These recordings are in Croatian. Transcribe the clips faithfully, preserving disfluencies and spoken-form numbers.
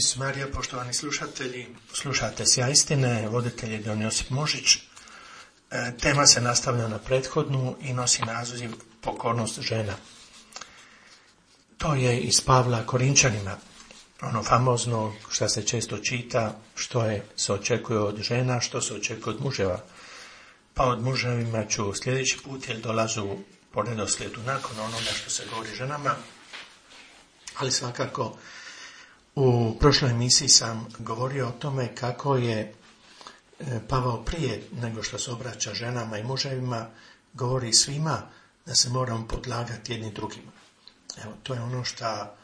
Isus Marija, poštovani slušatelji, slušate Sjaj istine, voditelj je don Josip Možić. E, tema se nastavlja na prethodnu i nosi naziv pokornost žena. To je iz Pavla Korinčanima, ono famozno što se često čita, što je, se očekuje od žena, što se očekuje od muževa. Pa od muževima ću sljedeći put, jer dolazu po redoslijedu nakon onoga što se govori ženama, ali svakako u prošloj emisiji sam govorio o tome kako je Pavao prije nego što se obraća ženama i muževima govori svima da se moramo podlagati jedni drugima. Evo, to je ono što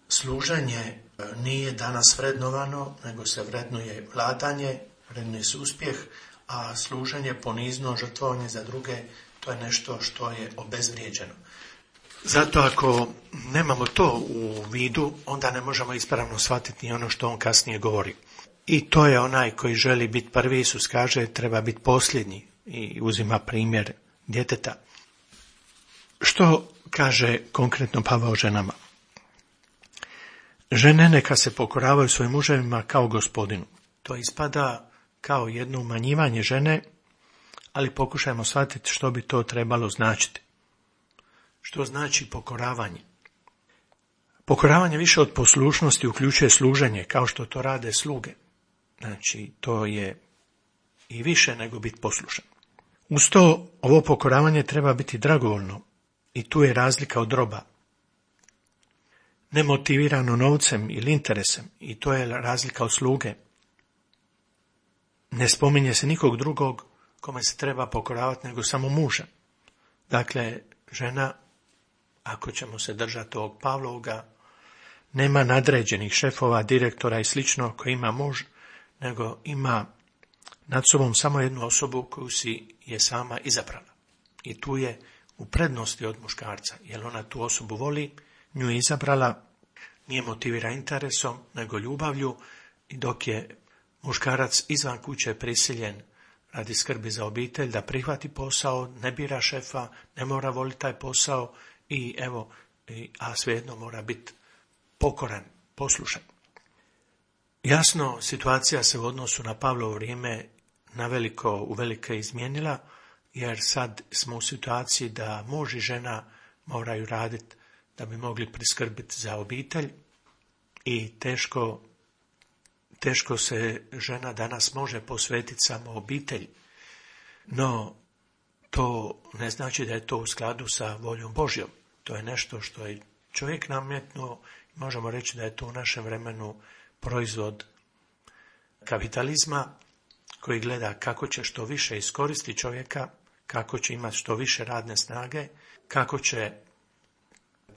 služenje nije danas vrednovano, nego se vrednuje vladanje, vrednuje se uspjeh, a služenje, ponizno žrtvovanje za druge, to je nešto što je obezvrijeđeno. Zato ako nemamo to u vidu, onda ne možemo ispravno shvatiti ni ono što on kasnije govori. I to je onaj koji želi biti prvi. Isus kaže treba biti posljednji i uzima primjer djeteta. Što kaže konkretno Pavao ženama? Žene neka se pokoravaju svojim muževima kao Gospodinu. To ispada kao jedno umanjivanje žene, ali pokušajmo shvatiti što bi to trebalo značiti. Što znači pokoravanje? Pokoravanje više od poslušnosti uključuje služenje, kao što to rade sluge. Znači, to je i više nego biti poslušan. Uz to, ovo pokoravanje treba biti dragovoljno i tu je razlika od roba. Nemotivirano novcem ili interesem, i to je razlika od sluge. Ne spominje se nikog drugog kome se treba pokoravati nego samo muža. Dakle, žena, ako ćemo se držati ovog Pavlovoga, nema nadređenih šefova, direktora i slično koji ima muž, nego ima nad sobom samo jednu osobu koju si je sama izabrala. I tu je u prednosti od muškarca, jer ona tu osobu voli, nju je izabrala, nije motivira interesom, nego ljubavlju, i dok je muškarac izvan kuće prisiljen radi skrbi za obitelj da prihvati posao, ne bira šefa, ne mora voliti taj posao, i evo, a svejedno mora biti pokoran, poslušan. Jasno, situacija se u odnosu na Pavlovo vrijeme naveliko, uvelike izmijenila, jer sad smo u situaciji da muž i žena moraju raditi da bi mogli priskrbiti za obitelj, i teško, teško se žena danas može posvetiti samo obitelji. No, to ne znači da je to u skladu sa voljom Božjom. To je nešto što je čovjek nametnuo. Možemo reći da je to u našem vremenu proizvod kapitalizma koji gleda kako će što više iskoristiti čovjeka, kako će imati što više radne snage, kako će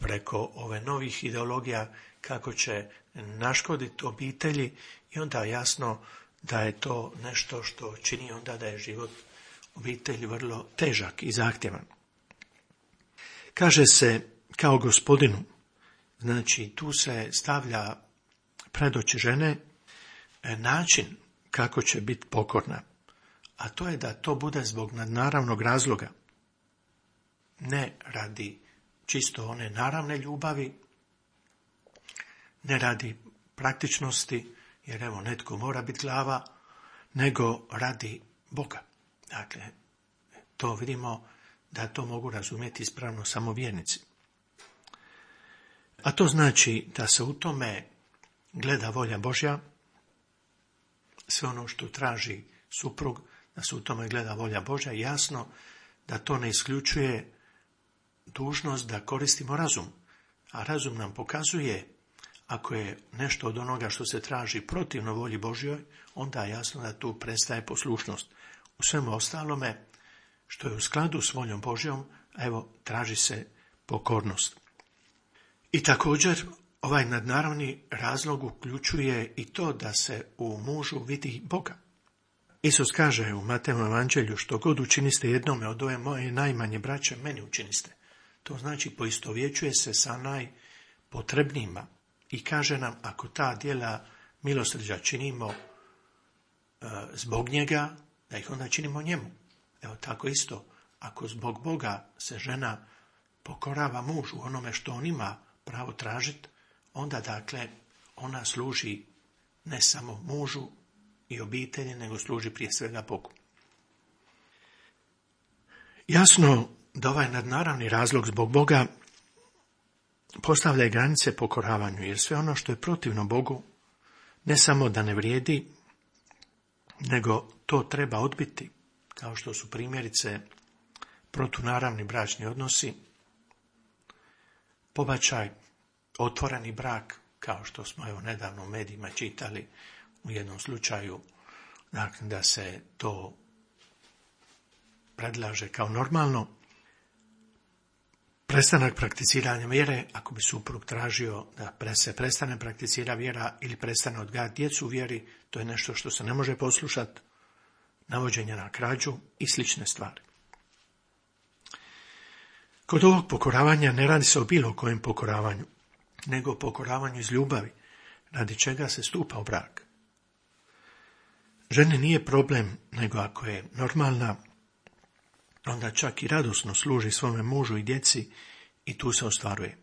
preko ove novih ideologija, kako će naškoditi obitelji, i onda jasno da je to nešto što čini onda da je život obitelji vrlo težak i zahtjevan. Kaže se kao Gospodinu, znači tu se stavlja pred oči žene način kako će biti pokorna, a to je da to bude zbog nadnaravnog razloga, ne radi čisto one naravne ljubavi, ne radi praktičnosti, jer evo netko mora biti glava, nego radi Boga. Dakle, to vidimo da to mogu razumjeti ispravno samo vjernici. A to znači da se u tome gleda volja Božja, sve ono što traži suprug, da se u tome gleda volja Božja, jasno da to ne isključuje dužnost da koristimo razum. A razum nam pokazuje, ako je nešto od onoga što se traži protivno volji Božjoj, onda je jasno da tu prestaje poslušnost. U svemu ostalome, što je u skladu s voljom Božjom, evo, traži se pokornost. I također, ovaj nadnaravni razlog uključuje i to da se u mužu vidi Boga. Isus kaže u Matejovom evanđelju, što god učiniste jednome od ove moje najmanje braće, meni učiniste. To znači poistovjećuje se sa najpotrebnijima i kaže nam, ako ta djela milosrđa činimo e, zbog njega, da ih onda činimo njemu. Evo tako isto, ako zbog Boga se žena pokorava mužu onome što on ima pravo tražiti, onda dakle ona služi ne samo mužu i obitelji, nego služi prije svega Bogu. Jasno da ovaj nadnaravni razlog zbog Boga postavlja granice pokoravanju, jer sve ono što je protivno Bogu ne samo da ne vrijedi, nego to treba odbiti, kao što su primjerice protunaravni bračni odnosi, pobačaj, otvoreni brak, kao što smo evo nedavno u medijima čitali u jednom slučaju, dakle, da se to predlaže kao normalno, prestanak prakticiranja vjere, ako bi suprug tražio da se prestane prakticira vjera ili prestane odgajati djecu u vjeri, to je nešto što se ne može poslušati, navođenje na krađu i slične stvari. Kod ovog pokoravanja ne radi se o bilo kojem pokoravanju, nego o pokoravanju iz ljubavi, radi čega se stupa u brak. Ženi nije problem, nego ako je normalna, onda čak i radosno služi svome mužu i djeci i tu se ostvaruje.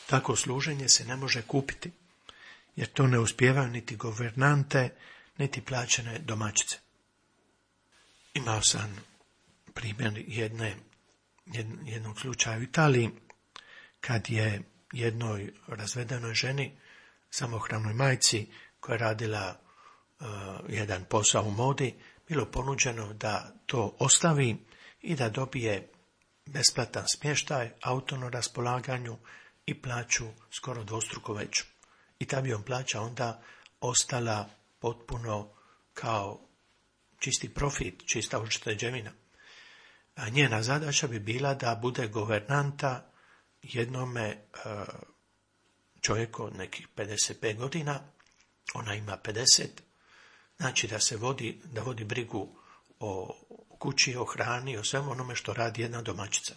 Tako služenje se ne može kupiti, jer to ne uspijevaju niti guvernante, niti plaćene domaćice. Imao sam primjer jedne, jednog slučaja u Italiji, kad je jednoj razvedenoj ženi, samohranoj majci, koja je radila uh, jedan posao u modi, bilo ponuđeno da to ostavi i da dobije besplatan smještaj, auto na raspolaganju i plaću skoro dvostruko veću. I ta bi on plaća onda ostala potpuno kao čisti profit, čista ušteđevina. A njena zadaća bi bila da bude guvernanta jednome čovjeku od nekih pedeset pet godina, ona ima pedeset, znači da se vodi, da vodi brigu o kući, o hrani, o svemu onome što radi jedna domaćica.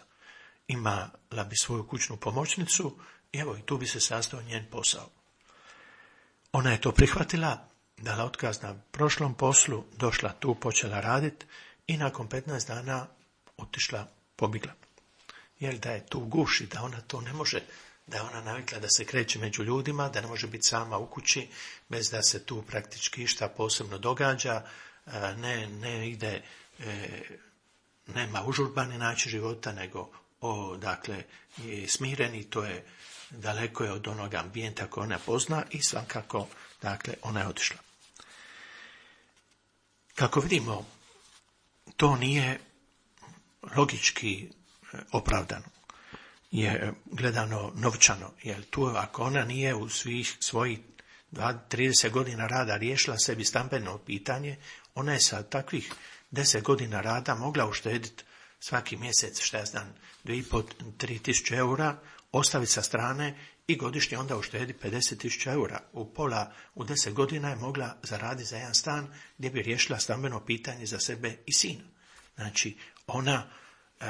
Imala bi svoju kućnu pomoćnicu i evo i tu bi se sastao njen posao. Ona je to prihvatila, dala otkaz na prošlom poslu, došla tu, počela raditi i nakon petnaest dana otišla, pobjegla. Jer da je tu guši, da ona to ne može, da je ona navikla da se kreće među ljudima, da ne može biti sama u kući, bez da se tu praktički išta posebno događa, ne, ne ide, nema užurbani način života, nego o, dakle, je smireni, to je daleko je od onog ambijenta koje ona pozna i svakako, dakle, ona je otišla. Kako vidimo, to nije logički opravdano, je gledano novčano, jer tu ako ona nije u svih svojih trideset godina rada riješila sebi stambeno pitanje, ona je sa takvih deset godina rada mogla uštediti svaki mjesec, šta ja znam, dvije i pol, tri tisuće eura, ostaviti sa strane i godišnje onda uštedi pedeset tisuća eura. U pola, u deset godina je mogla zaraditi za jedan stan gdje bi riješila stambeno pitanje za sebe i sina. Znači, ona e,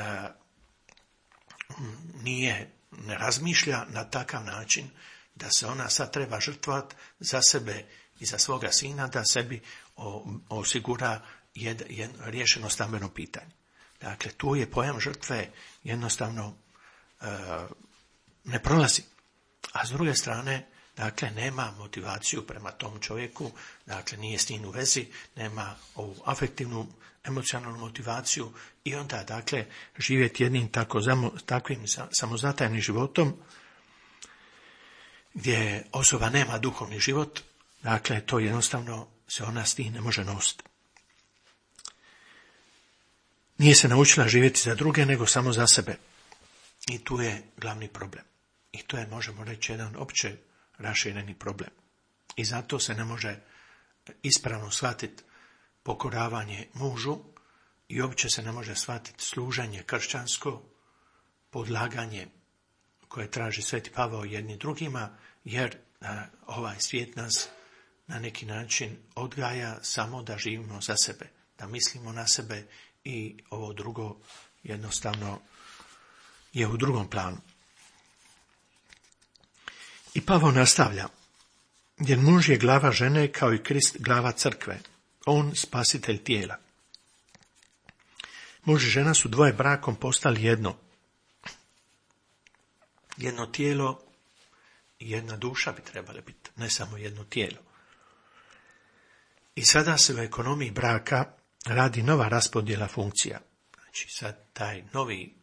nije, ne razmišlja na takav način da se ona sad treba žrtvovati za sebe i za svoga sina, da sebi o, osigura jed, jed, riješeno stambeno pitanje. Dakle, tu je pojam žrtve jednostavno e, ne prolazi. A s druge strane, dakle, nema motivaciju prema tom čovjeku, dakle, nije s njim u vezi, nema ovu afektivnu, emocionalnu motivaciju i onda, dakle, živjeti jednim tako, takvim samozatajnim životom, gdje osoba nema duhovni život, dakle, to jednostavno se ona s tim ne može nositi. Nije se naučila živjeti za druge, nego samo za sebe. I tu je glavni problem. I to je, možemo reći, jedan opće rašireni problem. I zato se ne može ispravno shvatiti pokoravanje mužu i uopće se ne može shvatiti služenje kršćansko, podlaganje koje traži Sveti Pavao jedni drugima, jer a, ovaj svijet nas na neki način odgaja samo da živimo za sebe, da mislimo na sebe i ovo drugo jednostavno je u drugom planu. I Pavao nastavlja, jer muž je glava žene kao i Krist glava crkve, on spasitelj tijela. Muž i žena su dvoje brakom postali jedno. Jedno tijelo jedna duša bi trebala biti, ne samo jedno tijelo. I sada se u ekonomiji braka radi nova raspodjela funkcija. Znači sad taj novi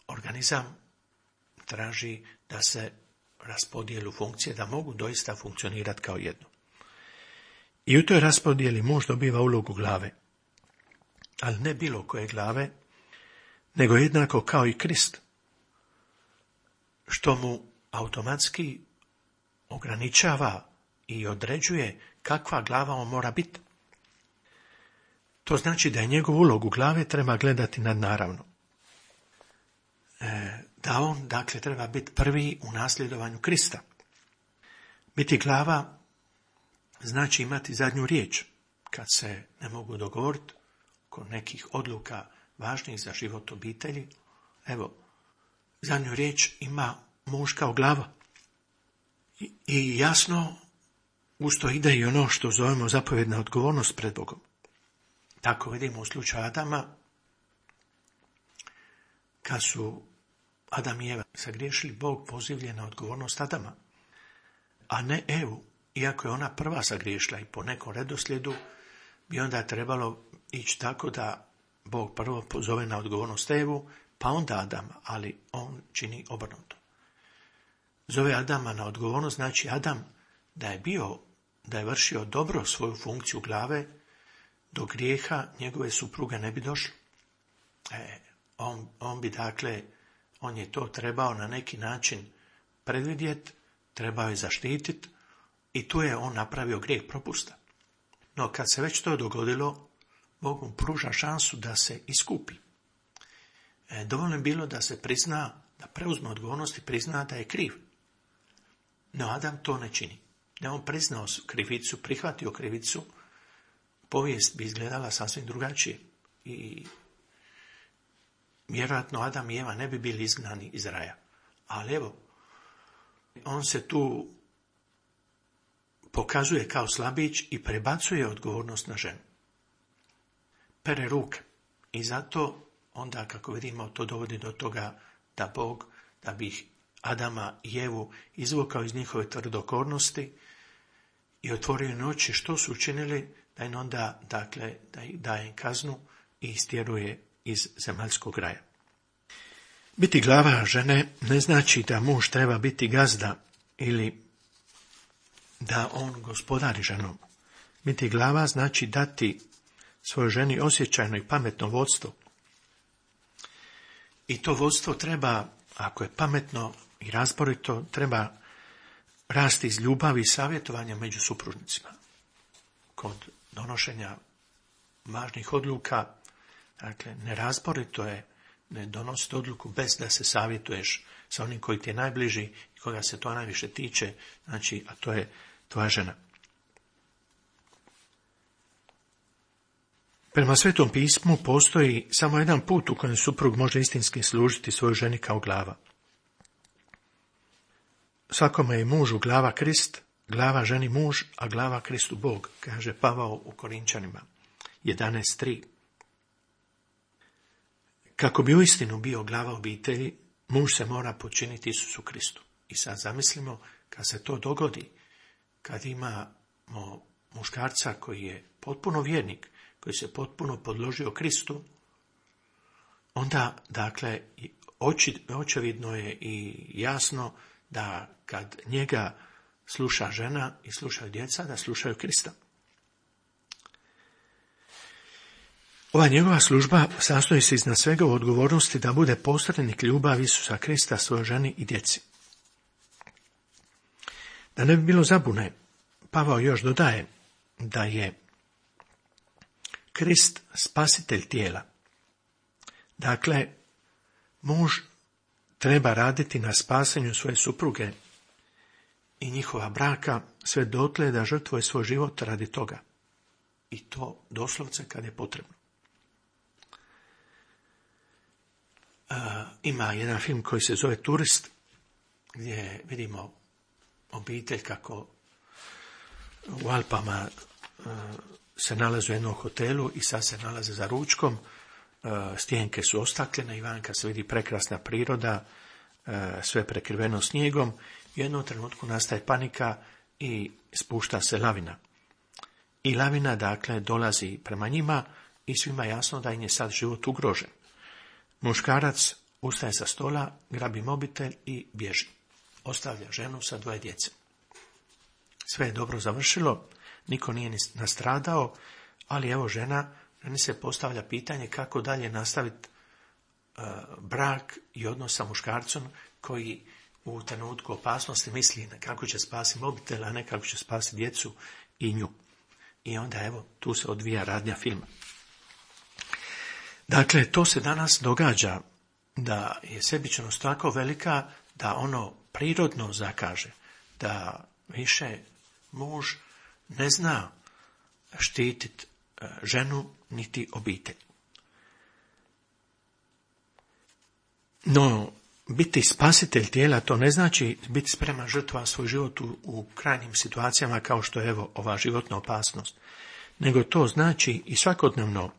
organizam traži da se raspodijelu funkcije, da mogu doista funkcionirati kao jedno. I u toj raspodjeli muž dobiva ulogu glave. Ali ne bilo koje glave, nego jednako kao i Krist, što mu automatski ograničava i određuje kakva glava on mora biti. To znači da je njegovu ulogu glave treba gledati nadnaravno. E, da on, dakle, treba biti prvi u nasljedovanju Krista. Biti glava znači imati zadnju riječ, kad se ne mogu dogovoriti oko nekih odluka važnih za život obitelji. Evo, zadnju riječ ima muž kao glava. I, i jasno, usto ide i ono što zovemo zapovjedna odgovornost pred Bogom. Tako vidimo u slučaju Adama, kad su Adam i Eva sagriješili, Bog pozivlje na odgovornost Adama, a ne Evu, iako je ona prva sagriješila i po nekom redoslijedu bi onda trebalo ići tako da Bog prvo pozove na odgovornost Evu, pa onda Adama, ali on čini obrnuto. Zove Adama na odgovornost, znači Adam da je bio, da je vršio dobro svoju funkciju glave, do grijeha njegove supruge ne bi došlo. E, on, on bi dakle, on je to trebao na neki način predvidjeti, trebao je zaštititi i tu je on napravio grijeh propusta. No kad se već to dogodilo, Bog mu pruža šansu da se iskupi. E, dovoljno je bilo da se prizna, da preuzme odgovornost i prizna da je kriv. No Adam to ne čini. Da je on priznao krivicu, prihvatio krivicu, povijest bi izgledala sasvim drugačije. I vjerojatno Adam i Eva ne bi bili izgnani iz raja. Ali evo, on se tu pokazuje kao slabić i prebacuje odgovornost na ženu. Pere ruke. I zato onda, kako vidimo, to dovodi do toga da Bog, da bi ih Adama i Evu izvukao iz njihove tvrdokornosti i otvorio im oči što su učinili, da im onda, dakle, da im daje kaznu i istjeruje iz zemaljskog raja. Biti glava žene ne znači da muž treba biti gazda ili da on gospodari ženom. Biti glava znači dati svojoj ženi osjećajno i pametno vodstvo. I to vodstvo treba, ako je pametno i razborito, treba rasti iz ljubavi i savjetovanja među supružnicima. Kod donošenja važnih odluka, dakle, nerazborito je ne donositi odluku bez da se savjetuješ sa onim koji ti je najbliži i koga se to najviše tiče, znači, a to je tvoja žena. Prema Svetom pismu postoji samo jedan put u kojem suprug može istinski služiti svojoj ženi kao glava. Svakome je mužu glava Krist, glava ženi muž, a glava Kristu Bog, kaže Pavao u Korinčanima jedanaest tri. Kako bi uistinu bio glava obitelji, muž se mora počiniti Isusu Kristu. I sad zamislimo, kad se to dogodi, kad imamo muškarca koji je potpuno vjernik, koji se potpuno podložio Kristu, onda, dakle, oči, očevidno je i jasno da kad njega sluša žena i slušaju djeca, da slušaju Krista. Ova njegova služba sastoji se iznad svega u odgovornosti da bude posrednik ljubavi Isusa Krista svojoj ženi i djeci. Da ne bi bilo zabune, Pavao još dodaje da je Krist spasitelj tijela. Dakle, muž treba raditi na spasenju svoje supruge i njihova braka sve dotle da žrtvuje svoj život radi toga. I to doslovce kad je potrebno. E, ima jedan film koji se zove Turist, gdje vidimo obitelj kako u Alpama e, se nalaze u jednom hotelu i sad se nalaze za ručkom. E, stijenke su ostakljene i vanka se vidi prekrasna priroda, e, sve prekriveno snijegom U jednom trenutku nastaje panika i spušta se lavina. I lavina, dakle, dolazi prema njima i svima jasno da im je sad život ugrožen. Muškarac ustaje sa stola, grabi mobitel i bježi. Ostavlja ženu sa dvoje djece. Sve je dobro završilo, niko nije ni nastradao, ali evo žena, ženi se postavlja pitanje kako dalje nastaviti uh, brak i odnos sa muškarcom koji u trenutku opasnosti misli kako će spasiti mobitel, a ne kako će spasiti djecu i nju. I onda evo, tu se odvija radnja filma. Dakle, to se danas događa, da je sebičnost tako velika da ono prirodno zakaže, da više muž ne zna štititi ženu niti obitelj. No, biti spasitelj tijela, to ne znači biti spreman žrtvovati svoj život u, u krajnjim situacijama kao što je evo ova životna opasnost, nego to znači i svakodnevno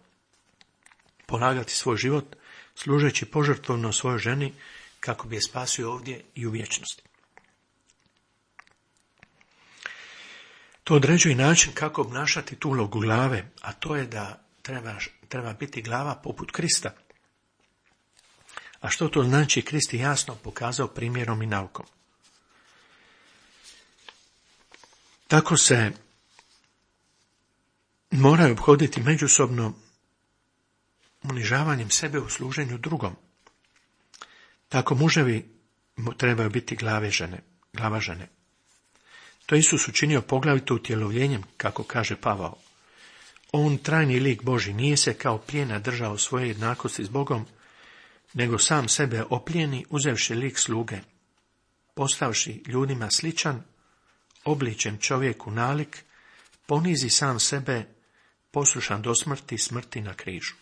polagati svoj život služeći požrtvovno svojoj ženi kako bi je spasio ovdje i u vječnosti. To određuje način kako obnašati tu ulogu glave, a to je da treba, treba biti glava poput Krista. A što to znači, Krist je jasno pokazao primjerom i naukom. Tako se moraju obhoditi međusobno unižavanjem sebe u služenju drugom. Tako muževi trebaju biti glave žene, glava žene. To Isus učinio poglavito utjelovljenjem, kako kaže Pavao. On, trajni lik Božji, nije se kao plijena držao svoje jednakosti s Bogom, nego sam sebe oplijeni, uzevši lik sluge, postavši ljudima sličan, obličen čovjeku nalik, ponizi sam sebe, poslušan do smrti, smrti na križu.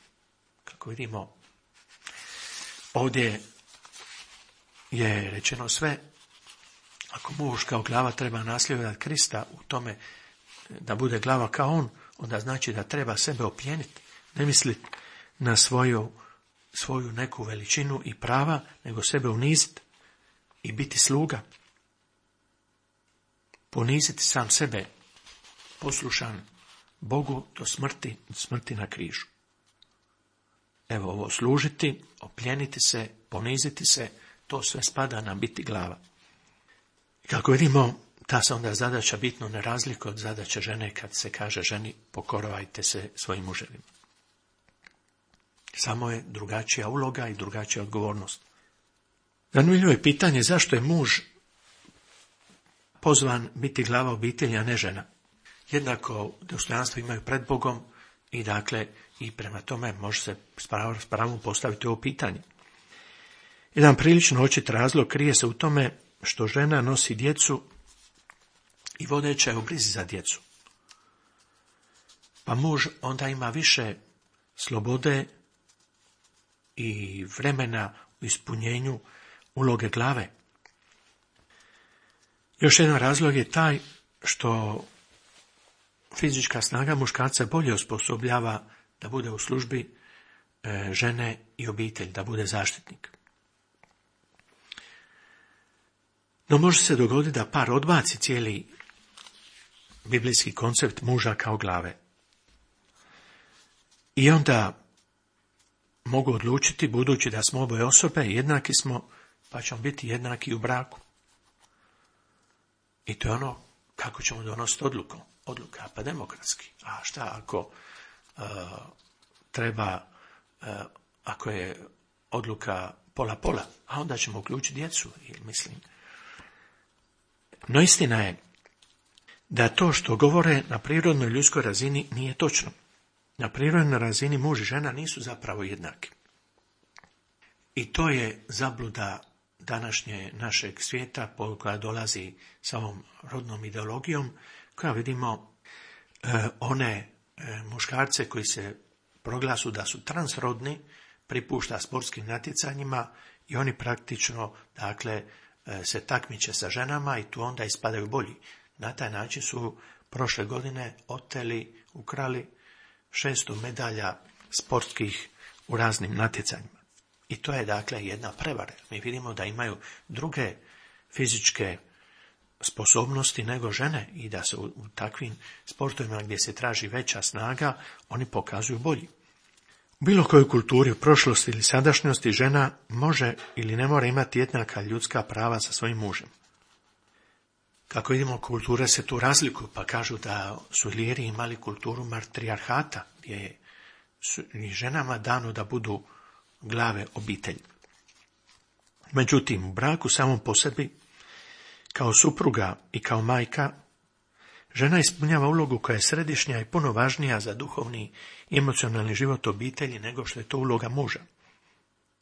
Kako vidimo, ovdje je rečeno sve. Ako muž kao glava treba nasljedovati Krista u tome da bude glava kao on, onda znači da treba sebe oplijeniti, ne misliti na svoju, svoju neku veličinu i prava, nego sebe uniziti i biti sluga. Poniziti sam sebe, poslušan Bogu do smrti, do smrti na križu. Evo ovo, služiti, oplijeniti se, poniziti se, to sve spada na biti glava. Kako vidimo, ta se onda zadaća bitno ne razlikuje od zadaće žene kad se kaže ženi pokoravajte se svojim muževima. Samo je drugačija uloga i drugačija odgovornost. Zanimljivo je pitanje zašto je muž pozvan biti glava obitelji, a ne žena. Jednako dostojanstvo imaju pred Bogom i dakle i prema tome može se s pravom postaviti ovo pitanje. Jedan prilično očit razlog krije se u tome što žena nosi djecu i vodeća je u brizi za djecu. Pa muž onda ima više slobode i vremena u ispunjenju uloge glave. Još jedan razlog je taj što fizička snaga muškarca bolje osposobljava da bude u službi e, žene i obitelj, da bude zaštitnik. No može se dogoditi da par odbaci cijeli biblijski koncept muža kao glave. I onda mogu odlučiti, budući da smo oboje osobe, jednaki smo, pa ćemo biti jednaki u braku. I to je ono kako ćemo donositi odluku. Odluka, pa demokratski. A šta ako uh, treba, uh, ako je odluka pola-pola, a onda ćemo uključiti djecu, mislim. No istina je da to što govore na prirodnoj ljudskoj razini nije točno. Na prirodnoj razini muž i žena nisu zapravo jednaki. I to je zabluda današnje našeg svijeta koja dolazi sa ovom rodnom ideologijom, koja vidimo e, one e, muškarce koji se proglasu da su transrodni, pripušta sportskim natjecanjima i oni praktično dakle e, se takmiče sa ženama i tu onda ispadaju bolji. Na taj način su prošle godine oteli, ukrali šesto medalja sportskih u raznim natjecanjima. I to je dakle jedna prevara. Mi vidimo da imaju druge fizičke sposobnosti nego žene i da se u, u takvim sportovima gdje se traži veća snaga, oni pokazuju bolji. U bilo kojoj kulturi, u prošlosti ili sadašnjosti, žena može ili ne mora imati jednaka ljudska prava sa svojim mužem. Kako vidimo, kulture se tu razlikuju, pa kažu da su Iliri imali kulturu matrijarhata, gdje je i ženama dano da budu glave obitelji. Međutim, u braku samom po sebi, kao supruga i kao majka, žena ispunjava ulogu koja je središnja i puno važnija za duhovni i emocionalni život obitelji nego što je to uloga muža.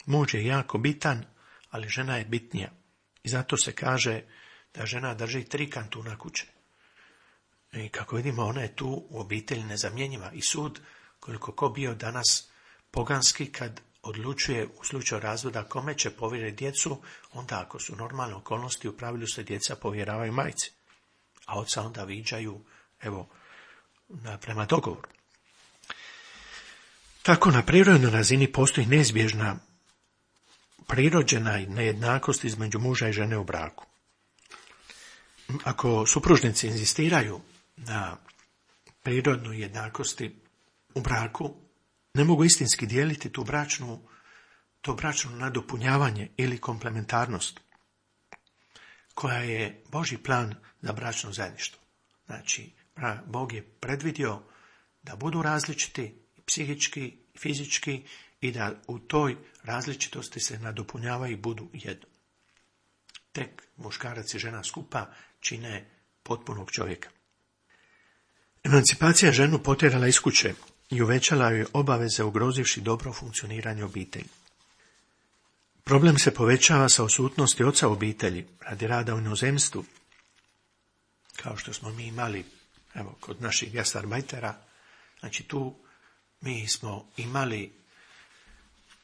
Muž je jako bitan, ali žena je bitnija. I zato se kaže da žena drži tri kantuna kuće. I kako vidimo, ona je tu u obitelji nezamjenjiva. I sud, koliko ko bio danas poganski, kad odlučuje u slučaju razvoda kome će povjeriti djecu, onda ako su normalne okolnosti, u pravilu se djeca povjeravaju majci, a oca onda viđaju, evo, prema dogovoru. Tako na prirodnoj razini postoji neizbježna prirođena nejednakost između muža i žene u braku. Ako supružnici inzistiraju na prirodnoj jednakosti u braku, ne mogu istinski dijeliti tu bračnu, to bračno nadopunjavanje ili komplementarnost, koja je Božji plan za bračno zajedništvo. Znači, Bog je predvidio da budu različiti psihički i fizički i da u toj različitosti se nadopunjavaju i budu jedno. Tek muškarac i žena skupa čine potpunog čovjeka. Emancipacija ženu potjerala iz kuće i uvećala joj obaveze, ugrozivši dobro funkcioniranje obitelji. Problem se povećava sa odsutnosti oca obitelji radi rada u inozemstvu, kao što smo mi imali, evo, kod naših gastarbajtera. Znači tu mi smo imali,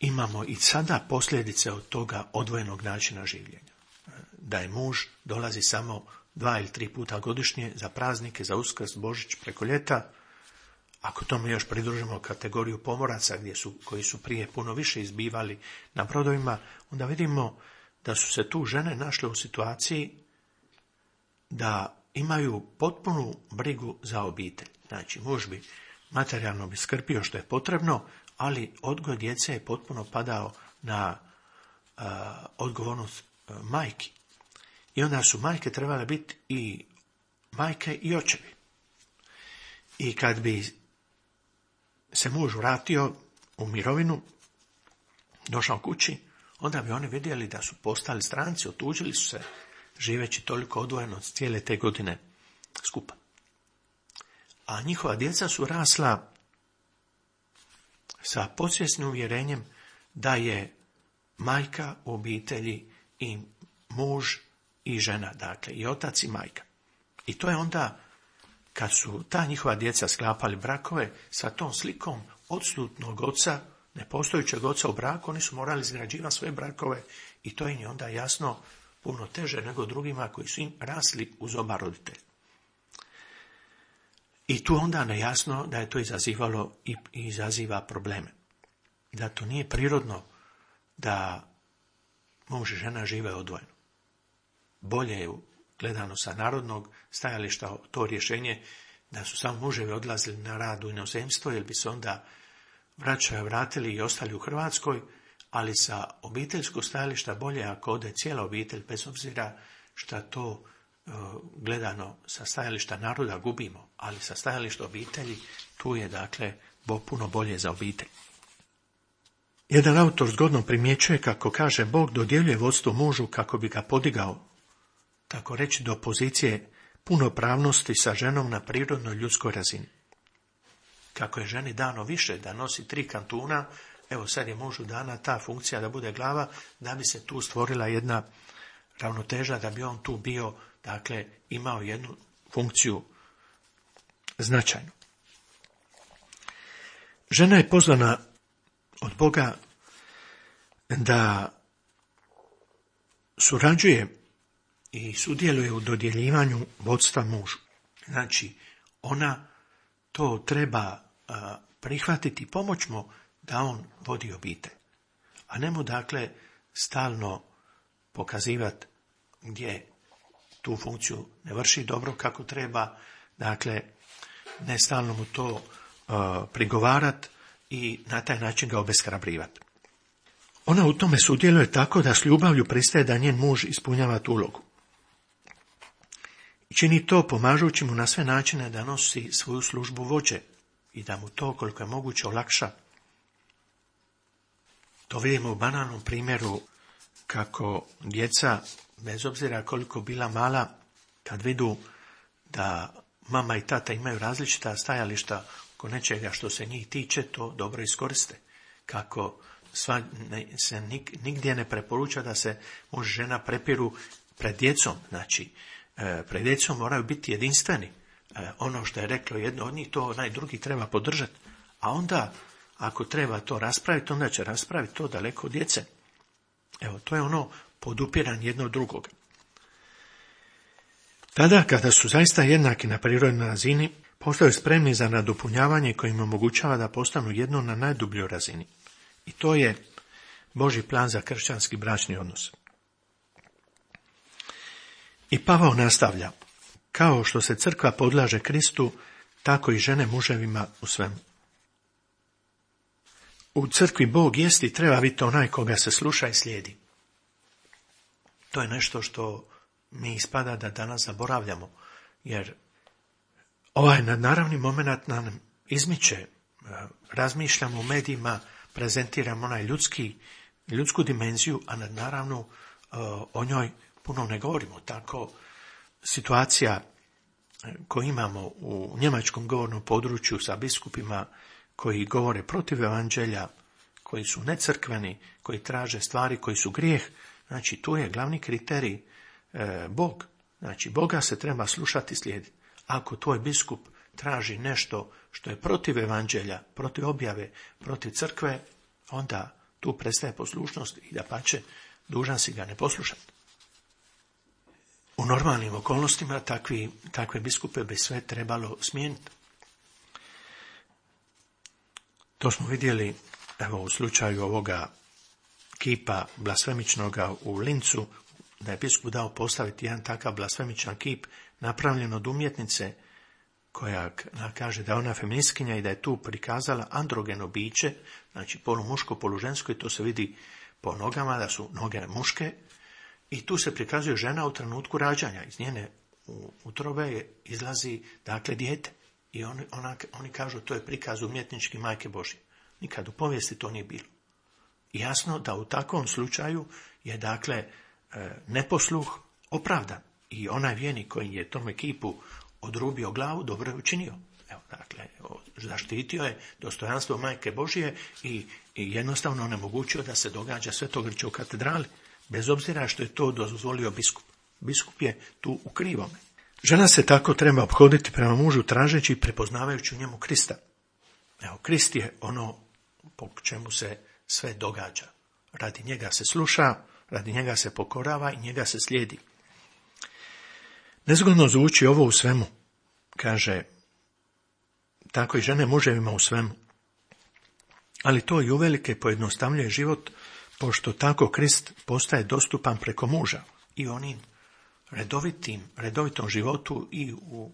imamo i sada posljedice od toga odvojenog načina življenja. Da je muž dolazi samo dva ili tri puta godišnje za praznike, za Uskrs, Božić, preko ljeta. Ako tome još pridružimo kategoriju pomoraca gdje su, koji su prije puno više izbivali na brodovima, onda vidimo da su se tu žene našle u situaciji da imaju potpunu brigu za obitelj. Znači, muž bi materijalno bi skrbio što je potrebno, ali odgoj djece je potpuno padao na uh, odgovornost uh, majki. I onda su majke trebale biti i majke i očevi. I kad bi se muž vratio u mirovinu, došao kući, onda bi oni vidjeli da su postali stranci, otuđili su se, živeći toliko odvojeno cijele te godine skupa. A njihova djeca su rasla sa podsvjesnim uvjerenjem da je majka u obitelji i muž i žena, dakle i otac i majka. I to je onda, kad su ta njihova djeca sklapali brakove, sa tom slikom odsutnog oca, nepostojećeg oca u braku, oni su morali izgrađivati svoje brakove i to im je onda jasno puno teže nego drugima koji su im rasli uz oba roditelja. I tu onda nejasno da je to izazivalo i izaziva probleme. Da to nije prirodno da muž i žena žive odvojeno. Bolje je, gledano sa narodnog stajališta, to rješenje da su samo muževi odlazili na rad u inozemstvo, jer bi se onda vraćaju vratili i ostali u Hrvatskoj, ali sa obiteljskog stajališta bolje ako ode cijela obitelj, bez obzira što to gledano sa stajališta naroda gubimo, ali sa stajališta obitelji tu je dakle puno bolje za obitelj. Jedan autor zgodno primjećuje kako kaže Bog dodjeljuje vodstvo mužu kako bi ga podigao, tako reći do pozicije punopravnosti sa ženom na prirodnoj ljudskoj razini. Kako je ženi dano više da nosi tri kantuna, evo sad je mužu dana ta funkcija da bude glava, da bi se tu stvorila jedna ravnoteža, da bi on tu bio, dakle, imao jednu funkciju značajnu. Žena je pozvana od Boga da surađuje i sudjeluje u dodjeljivanju vodstva mužu. Znači, ona to treba a, prihvatiti i pomoć mu da on vodi obitelj. A ne mu, dakle, stalno pokazivati gdje tu funkciju ne vrši dobro kako treba, dakle, ne stalno mu to uh, prigovarat i na taj način ga obeshrabrivati. Ona u tome sudjeluje tako da s ljubavlju pristaje da njen muž ispunjava tu ulogu. I čini to pomažući mu na sve načine da nosi svoju službu vođe i da mu to koliko je moguće olakša. To vidimo u banalnom primjeru kako djeca, bez obzira koliko bila mala, kad vidu da mama i tata imaju različita stajališta oko nečega što se njih tiče, to dobro iskoriste. Kako sva, ne, se nik, nigdje ne preporuča da se muž i žena prepiru pred djecom. Znači, e, pred djecom moraju biti jedinstveni. E, ono što je reklo jedno od njih, to onaj drugi treba podržati. A onda, ako treba to raspraviti, onda će raspraviti to daleko od djece. Evo, to je ono podupiranje jedno od drugoga. Tada, kada su zaista jednaki na prirodnoj razini, postaju spremni za nadopunjavanje koje im omogućava da postanu jedno na najdubljoj razini. I to je Božji plan za kršćanski bračni odnos. I Pavao nastavlja, kao što se crkva podlaže Kristu, tako i žene muževima u svemu. U crkvi Bog jest i treba biti onaj koga se sluša i slijedi. To je nešto što mi ispada da danas zaboravljamo, jer ovaj nadnaravni moment nam izmiče. Razmišljamo u medijima, prezentiramo onaj ljudski, ljudsku dimenziju, a nadnaravno o njoj puno ne govorimo. Tako situacija koju imamo u njemačkom govornom području sa biskupima koji govore protiv evanđelja, koji su necrkveni, koji traže stvari koji su grijeh, znači tu je glavni kriterij e, Bog. Znači Boga se treba slušati i slijediti. Ako tvoj biskup traži nešto što je protiv evanđelja, protiv objave, protiv crkve, onda tu prestaje poslušnost i dapače, dužan si ga ne poslušati. U normalnim okolnostima takvi, takve biskupe bi sve trebalo smijeniti. To smo vidjeli, evo, u slučaju ovoga kipa blasfemičnoga u Lincu, da je biskup dao postaviti jedan takav blasfemičan kip napravljen od umjetnice koja kaže da je ona feministkinja i da je tu prikazala androgeno biće, znači polumuško, polužensko, i to se vidi po nogama da su noge muške, i tu se prikazuje žena u trenutku rađanja. Iz njene utrobe izlazi, dakle, dijete. I on, ona, oni kažu to je prikaz umjetnički Majke Božje. Nikad u povijesti to nije bilo. I jasno da u takvom slučaju je, dakle, neposluh opravdan. I onaj vjernik koji je tome kipu odrubio glavu, dobro je učinio. Evo, dakle, zaštitio je dostojanstvo Majke Božje i, i jednostavno onemogućio da se događa svetogrđe u katedrali, bez obzira što je to dozvolio biskup. Biskup je tu u krivome. Žena se tako treba ophoditi prema mužu tražeći i prepoznavajući u njemu Krista. Evo, Krist je ono po čemu se sve događa. Radi njega se sluša, radi njega se pokorava i njega se slijedi. Nezgodno zvuči ovo u svemu, kaže, tako i žene muževima u svemu. Ali to i uvelike pojednostavljuje život, pošto tako Krist postaje dostupan preko muža i onim redovitim, redovitom životu i u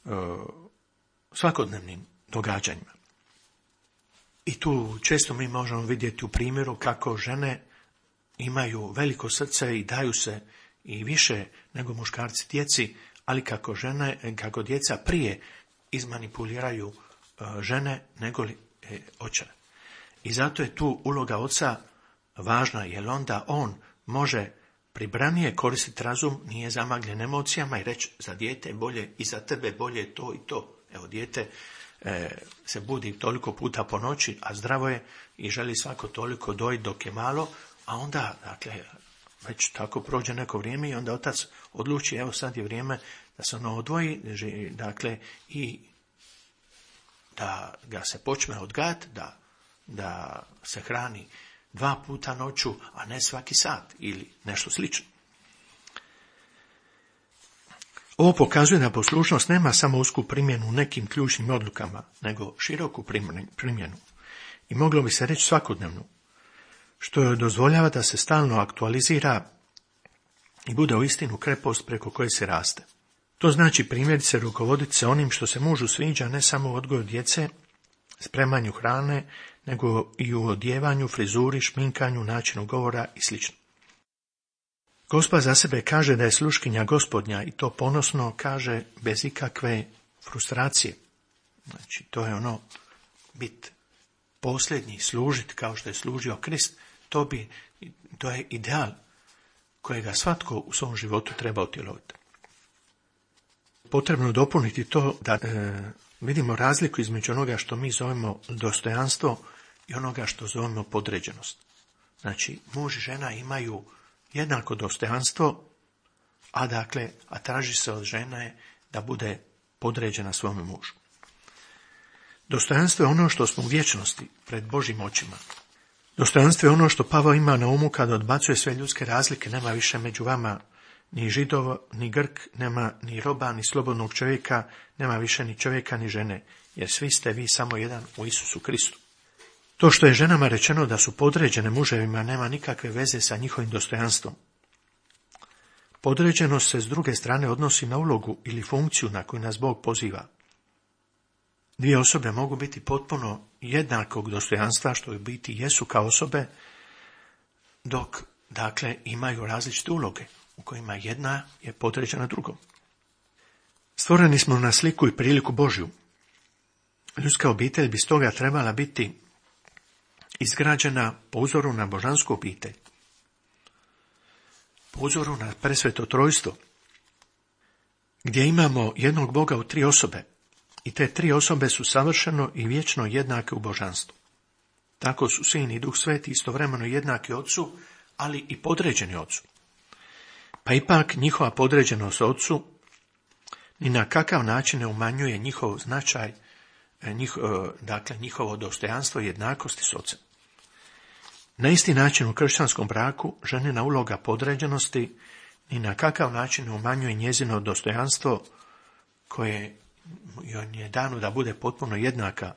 e, svakodnevnim događanjima. I tu često mi možemo vidjeti u primjeru kako žene imaju veliko srce i daju se i više nego muškarci djeci, ali kako žene, kako djeca prije izmanipuliraju e, žene nego li e, očeve. I zato je tu uloga oca važna, jer onda on može pribranije koristiti razum, nije zamagljen emocijama i reći za dijete bolje i za tebe bolje to i to. Evo, dijete e, se budi toliko puta po noći, a zdravo je i želi svako toliko dojiti dok je malo, a onda, dakle, već tako prođe neko vrijeme i onda otac odluči, evo sad je vrijeme da se ono odvoji, dakle, i da ga se počne odgajati, da, da se hrani dva puta noću, a ne svaki sat ili nešto slično. Ovo pokazuje da poslušnost nema samo usku primjenu u nekim ključnim odlukama, nego široku primjenu. I moglo bi se reći svakodnevnu, što joj dozvoljava da se stalno aktualizira i bude uistinu krepost preko koje se raste. To znači primjerice rukovoditi se onim što se mužu sviđa, ne samo u odgoju djece, spremanju hrane, nego i u odjevanju, frizuri, šminkanju, načinu govora i sl. Gospa za sebe kaže da je sluškinja Gospodnja i to ponosno kaže bez ikakve frustracije. Znači, to je ono bit posljednji, služiti kao što je služio Krist, to, bi, to je ideal kojega svatko u svom životu treba utjelovati. Potrebno dopuniti to da e, vidimo razliku između onoga što mi zovemo dostojanstvo i onoga što zovemo podređenost. Znači, muž i žena imaju jednako dostojanstvo, a dakle, a traži se od žene da bude podređena svome mužu. Dostojanstvo je ono što smo u vječnosti pred Božjim očima. Dostojanstvo je ono što Pavao ima na umu kada odbacuje sve ljudske razlike, nema više među vama ni Židov, ni Grk, nema ni roba, ni slobodnog čovjeka, nema više ni čovjeka, ni žene, jer svi ste vi samo jedan u Isusu Kristu. To što je ženama rečeno da su podređene muževima nema nikakve veze sa njihovim dostojanstvom. Podređenost se s druge strane odnosi na ulogu ili funkciju na koju nas Bog poziva. Dvije osobe mogu biti potpuno jednakog dostojanstva, što u biti jesu kao osobe, dok, dakle, imaju različite uloge, u kojima jedna je podređena drugom. Stvoreni smo na sliku i priliku Božju. Ljudska obitelj bi stoga trebala biti izgrađena po uzoru na božansku obitelj, po uzoru na presveto trojstvo, gdje imamo jednog Boga u tri osobe, i te tri osobe su savršeno i vječno jednake u božanstvu. Tako su Sin i Duh Sveti istovremeno jednaki Otcu, ali i podređeni Otcu. Pa ipak njihova podređenost Otcu ni na kakav način ne umanjuje njihov značaj, njih, dakle njihovo dostojanstvo i jednakosti s Ocem. Na isti način u kršćanskom braku ženina uloga podređenosti ni na kakav način ne umanjuje njezino dostojanstvo koje joj je dano da bude potpuno jednaka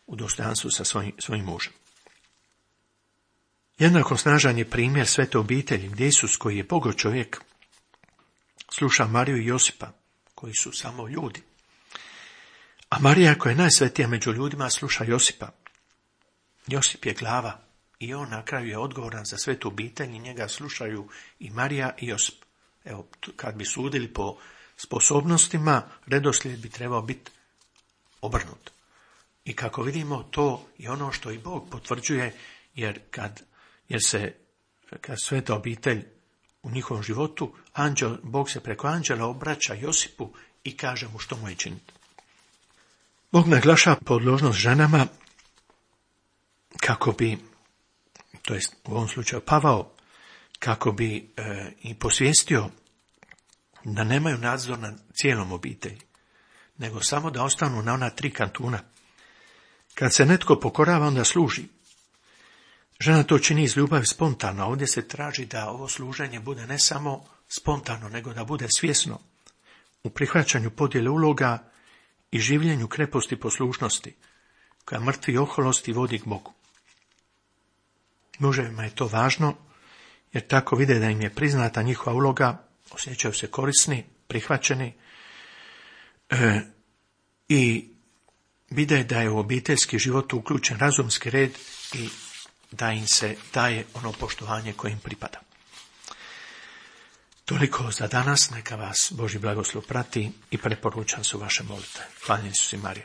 u dostojanstvu sa svojim, svojim mužem. Jednako snažan je primjer svete obitelji gdje Isus, koji je Bogo čovjek, sluša Mariju i Josipa, koji su samo ljudi. A Marija, koja je najsvetija među ljudima, sluša Josipa. Josip je glava i on na kraju je odgovoran za svetu obitelj i njega slušaju i Marija i Josip. Evo, kad bi sudili po sposobnostima, redoslijed bi trebao biti obrnut. I kako vidimo, to je ono što i Bog potvrđuje, jer kad, jer se, kad sveta obitelj u njihovom životu, anđel, Bog se preko anđela obraća Josipu i kaže mu što mu je činiti. Bog naglašava podložnost ženama kako bi, to jest u ovom slučaju Pavao, kako bi e, i posvijestio da nemaju nadzor nad cijelom obitelji, nego samo da ostanu na ona tri kantuna. Kad se netko pokorava, onda služi. Žena to čini iz ljubavi spontano, a ovdje se traži da ovo služenje bude ne samo spontano, nego da bude svjesno, u prihvaćanju podjele uloga i življenju kreposti poslušnosti, koja mrtvi oholosti vodi k Bogu. Muževima je to važno, jer tako vide da im je priznata njihova uloga, osjećaju se korisni, prihvaćeni e, i vide da je u obiteljski život uključen razumski red i da im se daje ono poštovanje koje im pripada. Toliko za danas, neka vas Božji blagoslov prati i preporučam su vaše molitve. Hvala Isusu i Mariji.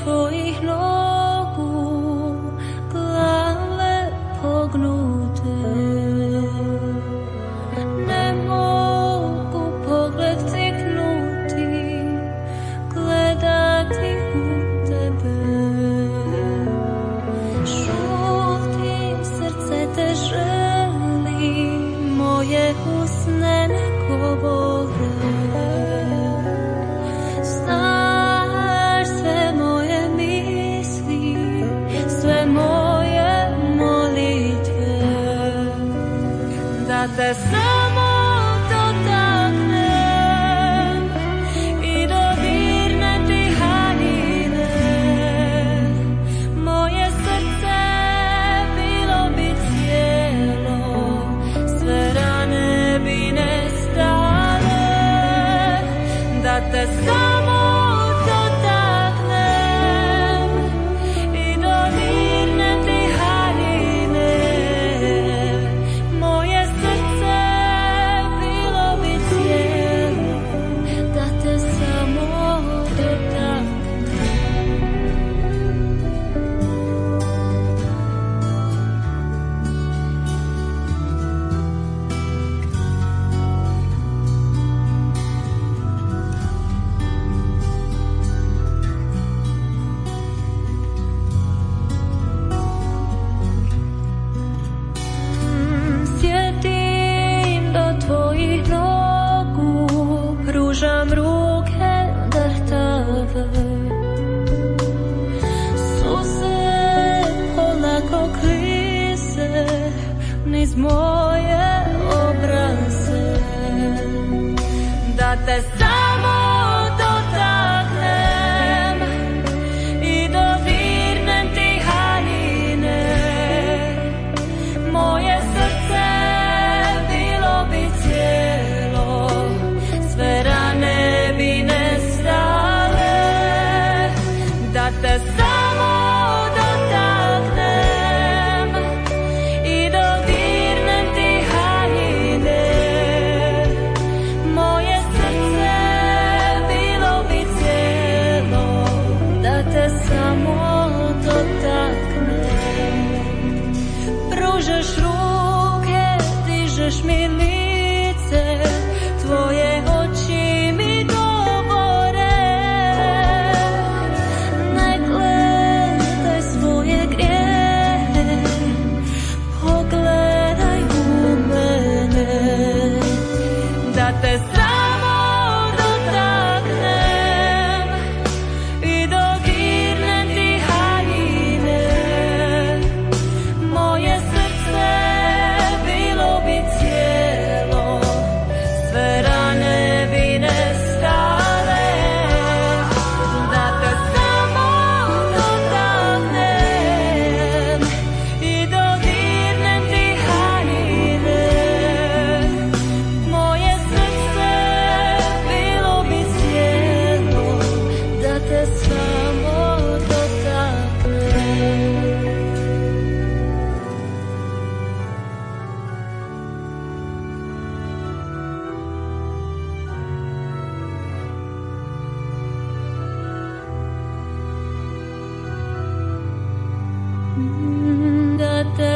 Tvojich nogu glave pognute, moje obraze, da te samo dotaknem i dodirnem ti haljine. Moje srce bilo bi cijelo, sve rane bi nestale, da te samo dotaknem i dodirnem ti haljine. Moje srce bilo bi cijelo, da te samo dotaknem. Pružaš ruke, dižeš mi lice, tvoje oči mi govore. Ne gledaj svoje grijehe, pogledaj u mene, da te samo dotaknem i dodirnem ti haljine. Moje srce bilo bi cijelo, sve rane bi nestale, da te samo dotaknem i dodirnem ti haljine. Moje srce bilo bi cijelo, da te samo dotaknem. Da te